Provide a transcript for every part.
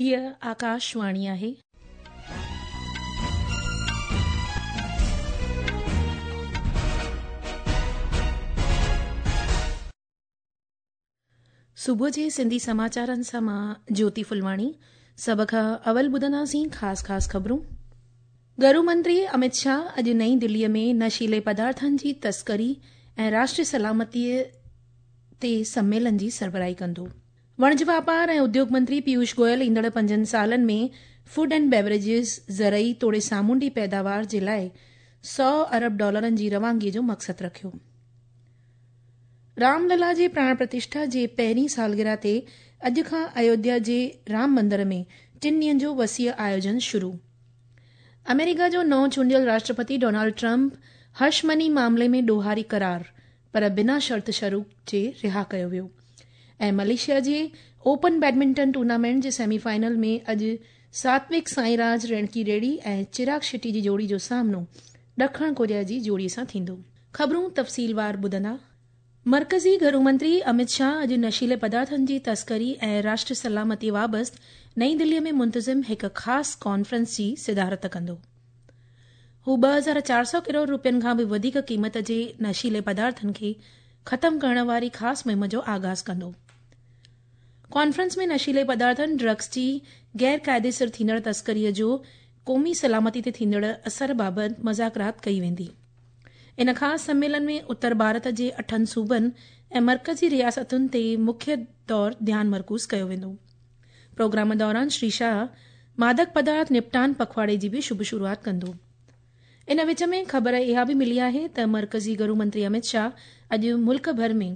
هيء آڪاشواڻي آهي. صبح جي سنڌي سماچارن سان مان جيوتي ڦلواڻي سڀ کان اول ٻڌنداسين خاص خاص خبرون. گهرو منتري امت شاهه اڄ نئين دليء ۾ نشيلي پدارٿن جي تسڪري ۽ راشٽري سلامتيء تي سميلن جي سربراهي ڪندو. وڻج واپار ۽ اديوگ منتري پيوش گويل ايندڙ پنجن سالن ۾ فوڊ اينڊ بيوريجز، زرعي توڙي سامونڊي پيداوار جي لاء سئو ارب ڊالرن جي روانگي جو مقصد رکيو. رام للا جي پراڻ پرتشٺا جي پهرين سالگرهه تي اڄ کان ايوڌيا جي رام مندر ۾ ٽن ڏينهن جو وسيع آيوجن شروع. آمريڪا جو نئون چونڊيل راشٽرپتي ڊونالڊ ٽرمپ هش مني معاملي ۾ ڏوهاري قرار پر بنا شرط شروط جي رها ڪيو ويو ۽ ملائيشيا جي اوپن بيڊمنٽن ٽورنامينٽ جي سيمي فائنل ۾ اڄ ساتوڪ سائين راج رينڪي ريڊي ۽ چراگ شيٽي جي جوڙي جو سامنو ڏکڻ ڪوريا جي جوڙي سان ٿيندو. خبرون تفصيلوار ٻڌندا. مرڪزي گهرو منتري امت شاهه اڄ نشيلي پدارٿن جي تسڪري ۽ راشٽر سلامتي بابت نئين دلي ۾ منتظم هڪ خاص ڪانفرنس جي صدارت ڪندو. هو 2400 ڪروڙ روپين کان به وڌيڪ قيمت جي نشيلي پدارٿن کي ختم ڪرڻ واري خاص مهم جو آغاز ڪندو. ڪانفرنس ۾ نشيلي پدارٿن، ڊرگس، جي غير قاعديسر ٿيندڙ تسڪري جو قومي سلامتي تي ٿيندڙ اثر بابت مذاڪرات ڪئي ويندي. ان خاص سميلن ۾ اتر ڀارت جي اٺن صوبن ۽ مرڪزي رياستن تي مکيه طور ڌيان مرڪوز ڪيو ويندو. پروگرام دوران شري شاهه مادڪ پدارٿ نپٽان پکواڙي جي به شڀ شروعات ڪندو. ان وچ ۾ خبر اها به ملي آهي ته مرڪزي گهرو منتري امت شاهه اڄ ملڪ ڀر ۾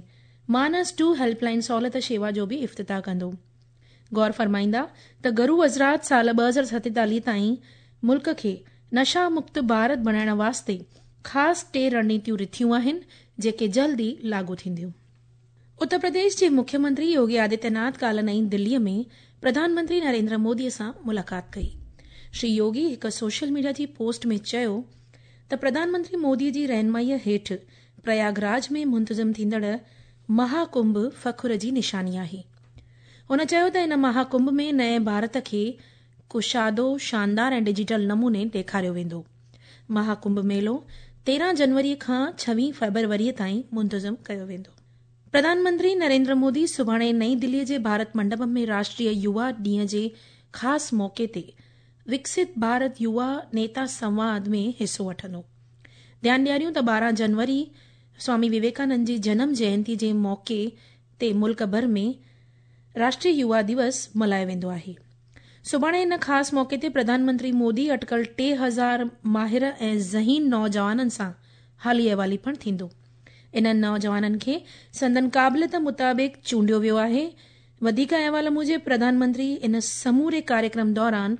مانس ٽو هيلپ لائين سهولت شيوا جو به افتتاح ڪندو. غور فرمائيندا ته گهرو وزارت سال 2047 تائين ملڪ کي نشا مڪت ڀارت بڻائڻ واسطي خاص ٽي رڻنيتيون رٿيون آهن جيڪي جلد ئي لاڳو ٿينديون. اتر پرديش جي مکيه منتري يوگي آدتيه ناٿ ڪالهه نئين دلي ۾ پرڌان منتري نريندر مودي سان ملاقات ڪئي. شري يوگي هڪ سوشل ميڊيا جي پوسٽ ۾ چيو ته پرڌان منتري مودي جي رهنمائي هيٺ پرياگ راج ۾ منتظم ٿيندڙ مها ڪنڀ فخر جي نشاني آهي. هن چيو ته ان مها ڪنڀ ۾ نئين ڀارت کي ڪشادو، شاندار ۽ ڊجيٽل نموني ڏيکاريو ويندو. مها ڪنڀ ميلو 13 جنوري کان 26 فيبروري تائين منتظم ڪيو ويندو. پرڌان منتري نريندر مودي سڀاڻي نئين دلي جي ڀارت منڊپم ۾ راشٽريه يووا ڏينهن جي خاص موقعي تي وڪست ڀارت يووا نيتا سنواد ۾ حصو وٺندو. ڌيان ڏياريون ته 12 جنوري سوامي وويڪانند جي جنم جينتي جي موقعي تي ملڪ ڀر ۾ راشٽريه يووا ديوس ملهايو ويندو آهي. سڀاڻي ان خاص موقعي تي پرڌان منتري مودي اٽڪل 3000 ماهر ۽ ذهين نوجوانن سان حالي احوالي پڻ ٿيندو. انهن نوجوانن کي سندن قابليت مطابق چونڊيو ويو آهي. وڌيڪ احوال موجب پرڌان منتري ان سموري ڪاريڪرم دوران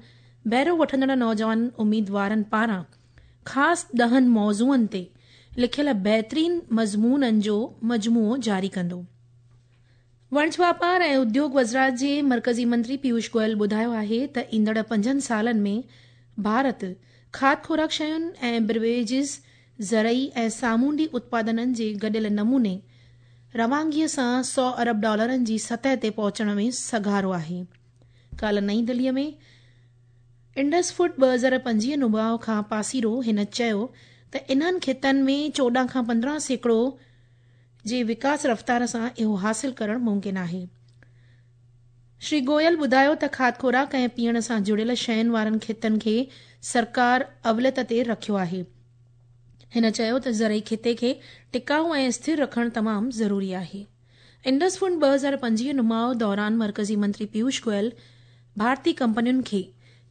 بهرو وٺندڙ نوجوان اميدوارن پاران خاص ڏهن موضوعن تي لکيل بهترين مضمونن جو مجموعو جاري ڪندو. وڻج واپار ۽ اديوگ وزارت جي مرڪزي منتري پيوش گويل ٻڌايو آهي ته ايندڙ پنجن سالن ۾ ڀارت کاڌ خوراڪ شين ۽ بيوريجز، زرعي ۽ سامونڊي اتپادنن جي گڏيل نموني روانگي سان سئو ارب ڊالرن جي سطح تي پهچڻ ۾ سگهارو آهي. ڪالهه نئين دلي ۾ انڊس فوڊ 2025 نماء کان پاسيرو هن چيو ته انهن خطن ۾ 14 کان 15% جي وڪاس رفتار سان اهو حاصل ڪرڻ ممڪن آهي. شري گويل ٻڌايو ته کاڌ خوراڪ ۽ پيئڻ سان جڙيل شين وارن خطن کي سرڪار اوليت تي رکيو آهي. هن چيو ته زرعي خطي کي ٽڪائو ۽ اسٿر رکڻ تمام ضروري آهي. انڊس فوڊ 2025 نماء دوران مرڪزي منتري پيوش گويل ڀارتي ڪمپنين کي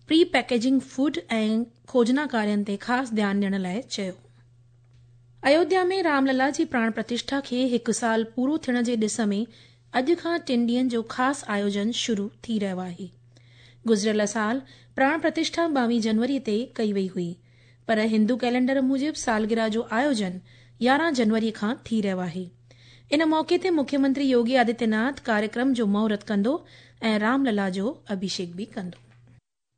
پري پيڪيجنگ فوڊ ۽ کوجنا ڪارين تي خاص ڌيان ڏيڻ لاء چيو. ايوڌيا ۾ رام للا جي پراڻ پرتشٺا کي هڪ سال پورو ٿيڻ جي ڏس ۾ اڄ کان ٽن ڏينهن جو خاص آيوجن شروع ٿي رهيو آهي. گذريل سال پراڻ پرتشٺا 22 جنوري تي ڪئي وئي هئي پر هندو ڪئلينڊر موجب سالگرهه جو آيوجن 11 جنوري کان ٿي رهيو آهي. ان موقعي تي مکيه منتري يوگي آدتيه ناٿ ڪاريڪرم جو مهورت ڪندو ۽ رام للا جو اڀيشيڪ به ڪندو.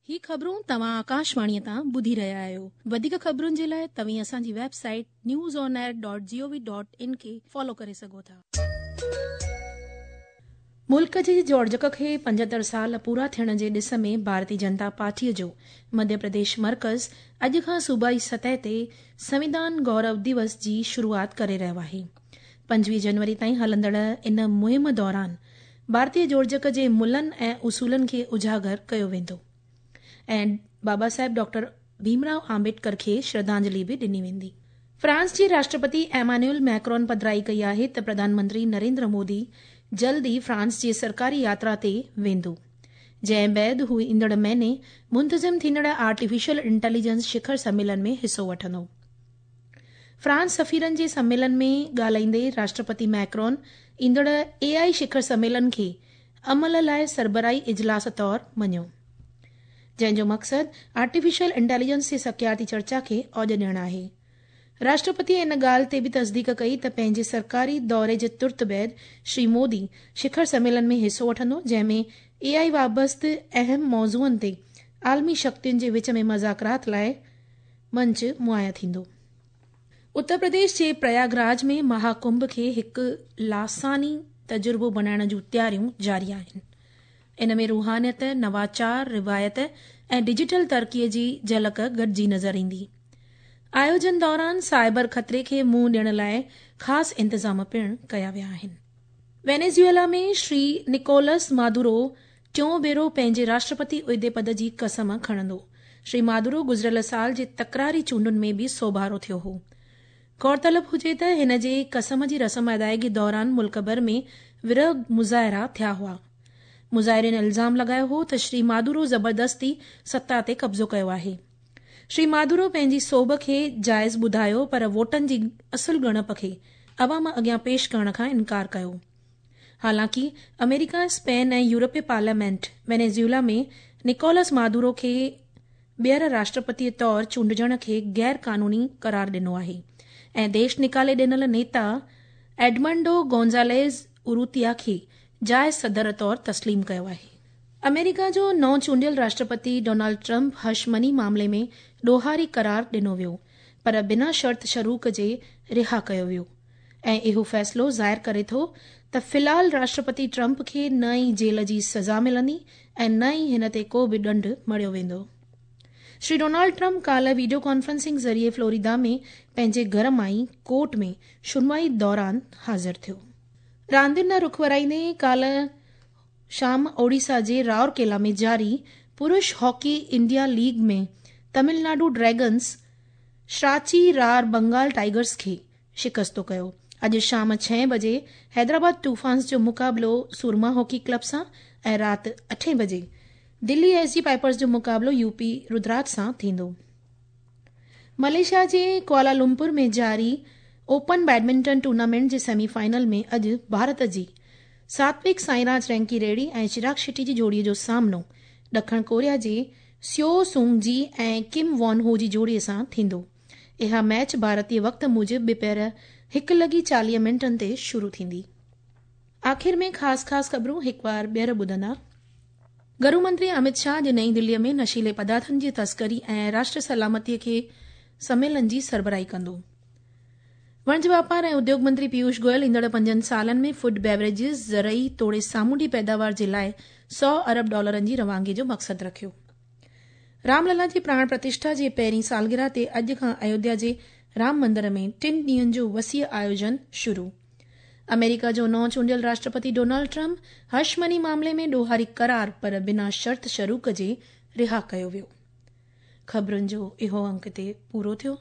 هي خبرون توهان آڪاشواڻي تان ٻڌي رهيا آهيو. وڌيڪ خبرن جي لاء توهين اسان جي website news on air dot G O V dot in کي فالو ڪري سگهو ٿا. ملڪ جي جوڙجڪ کي 75 سال پورا ٿيڻ جي ڏس ۾ ڀارتي جنتا پارٽيء جو مڌيه پرديش مرڪز اڄ کان صوبائي سطح تي سنوڌان گورو دوس جي شروعات ڪري رهيو آهي. 25 جنوري تائين هلندڙ ان مهم دوران ڀارتي جوڙجڪ جي ملن ۽ اصولن کي اجاگر ڪيو ويندو ۽ بابا صاحب ڊاڪٽر ڀيم رائو آمبيڊڪر کي شرڌانجلي به ڏني ويندي. فرانس جي راشٽرپتي ايمانوئل ميڪرون پڌرائي ڪئي آهي ته پرڌان منتري نريندر مودي جلد ئي فرانس جي سرڪاري ياترا تي ويندو، جنهن بعد هو ايندڙ مهيني منتظم ٿيندڙ آرٽيفيشل انٽيليجنس شکر سميلن ۾ حصو وٺندو. فرانس سفيرن جي سميلن ۾ ڳالهائيندي راشٽرپتي ميڪرون ايندڙ اي آء شکر سميلن کي عمل لاء سربراهي اجلاس طور مڃيو، جنهن جو مقصد آرٽيفيشل انٽيليجنس تي سکيارتي چرچا کي اوڄ ڏيڻ آهي. راشٽرپتي ان ڳالهه تي به تصديق ڪئي ته پنهنجي سرڪاري دوري جي ترت بعد شري مودي شکر سميلن ۾ حصو وٺندو، جنهن ۾ اي آء وابسته اهم موضوعن تي عالمي شڪتين جي وچ ۾ مذاڪرات لاء منچ مهيا ٿيندو. اتر پرديش جي پرياگ راج ۾ مها ڪنڀ کي هڪ لاثاني تجربو بڻائڻ جون تياريون جاري آهن. ان ۾ روحانيت، نواچار، روايت ۽ ڊجيٽل ترقي جي جهلڪ گڏجي نظر ايندي. آيوجن دوران سائبر خطري کي منهن ڏيڻ لاء خاص انتظام پڻ ڪيا ويا آهن. وينيزويلا ۾ شري نڪولس مادورو ٽيون ڀيرو پنهنجي راشٽرپتي عهدي پد جي قسم کڻندو. شري مادورو گذريل سال جي تڪراري چونڊن ۾ به سوڀارو ٿيو هو. غور طلب هجي ته هن جي قسم جي رسم ادائگي دوران ملڪ ڀر ۾ ورهه مظاهرا ٿيا هئا. مظاهرين الزام لڳايو هو ته شري مادورو زبردستي ستا تي قبضو ڪيو آهي. شري مادورو پنهنجي سوڀ کي جائز ٻڌايو پر ووٽن جي اصل ڳڻپ کي عوام اڳيان پيش ڪرڻ کان انڪار ڪيو. حالانڪه آمريڪا، اسپين ۽ يورپي پارليامينٽ وينيزويلا ۾ نڪولس مادورو کي ٻيهر راشٽرپتي طور چونڊجڻ کي غير قانوني قرار ڏنو آهي ۽ ديش نيڪالي ڏنل نيتا ايڊمنڊو گونزاليز اروتيا کي جائز صدر طور تسليم ڪيو آهي. آمريڪا جو نئون چونڊيل راشٽرپتي ڊونلڊ ٽرمپ هش مني معاملي ۾ ڏوهاري قرار ڏنو ويو پر بنا شرط شروط جي رها ڪيو ويو. ۽ اهو فيصلو ظاهر ڪري ٿو ته في الحال راشٽرپتي ٽرمپ کي نه ئي جيل جي سزا ملندي ۽ نه ئي هن تي ڪو به ڏنڊ مڙهيو ويندو. شري ڊونالڊ ٽرمپ ڪالهه ويڊيو ڪانفرنسنگ ذريعي فلوريدا ۾ پنهنجي گهر مان ئي ڪورٽ ۾ شنوائي دوران حاضر ٿيو. راندين ڏانهن رخ ورائيندي ڪالهه شام اوڙيسا جي رائورڪيلا ۾ جاري پرش hockey India league ۾ Tamil Nadu dragons Shrachi Rarh Bengal tigers کي شڪستو ڪيو. اڄ شام ڇهين بجي حيدرآباد طوفانز جو مقابلو سورما هاڪي ڪلب سان ۽ رات اٺين بجي دلي ايس جي پائپرز جو مقابلو يو پي ردراج سان ٿيندو. ملائيشيا جي ڪوالالمپور ۾ جاري اوپن بيڊمنٽن ٽورنامينٽ جي سيمي فائنل ۾ اڄ ڀارت جي ساتوڪ سائيراج رينڪي ريڊي ۽ چراگ شيٽي جي جوڙي جو سامنو ڏکڻ ڪوريا جي سيو سونگ جي ۽ ڪم وون هو جي جوڙي سان ٿيندو. اها ميچ ڀارتي وقت موجب ٻپهر هڪ لڳي 40 منٽن تي شروع ٿيندي. آخر ۾ خاص خاص خبرون هڪ وار ٻيهر ٻڌندا. گهرو منتري امت شاهه اڄ نئين دلي ۾ نشيلي پدارٿن جي تسڪري ۽ راشٽر سلامتي کي سميلن جي سربراهي ڪندو. وڻج واپار ۽ اديوڳ منتري پيوش گويل ايندڙ پنجن سالن ۾ فوڊ بيوريجز، زرعي توڙي سامونڊي پيداوار جي لاء 100 ارب ڊالرن جي روانگي جو مقصد رکيو. رام للا جي پراڻ پرتشٺا جي پهرين سالگرهه تي اڄ کان ايوڌيا جي رام مندر ۾ ٽن ڏينهن جو وسيع آيوجن شروع. آمريڪا جو نئون چونڊيل راشٽرپتي ڊونلڊ ٽرمپ هش مني معاملي ۾ ڏوهاري قرار پر بنا شرط شروط جي رها ڪيو ويو. خبرن جو اهو انڪ هتي پورو ٿيو.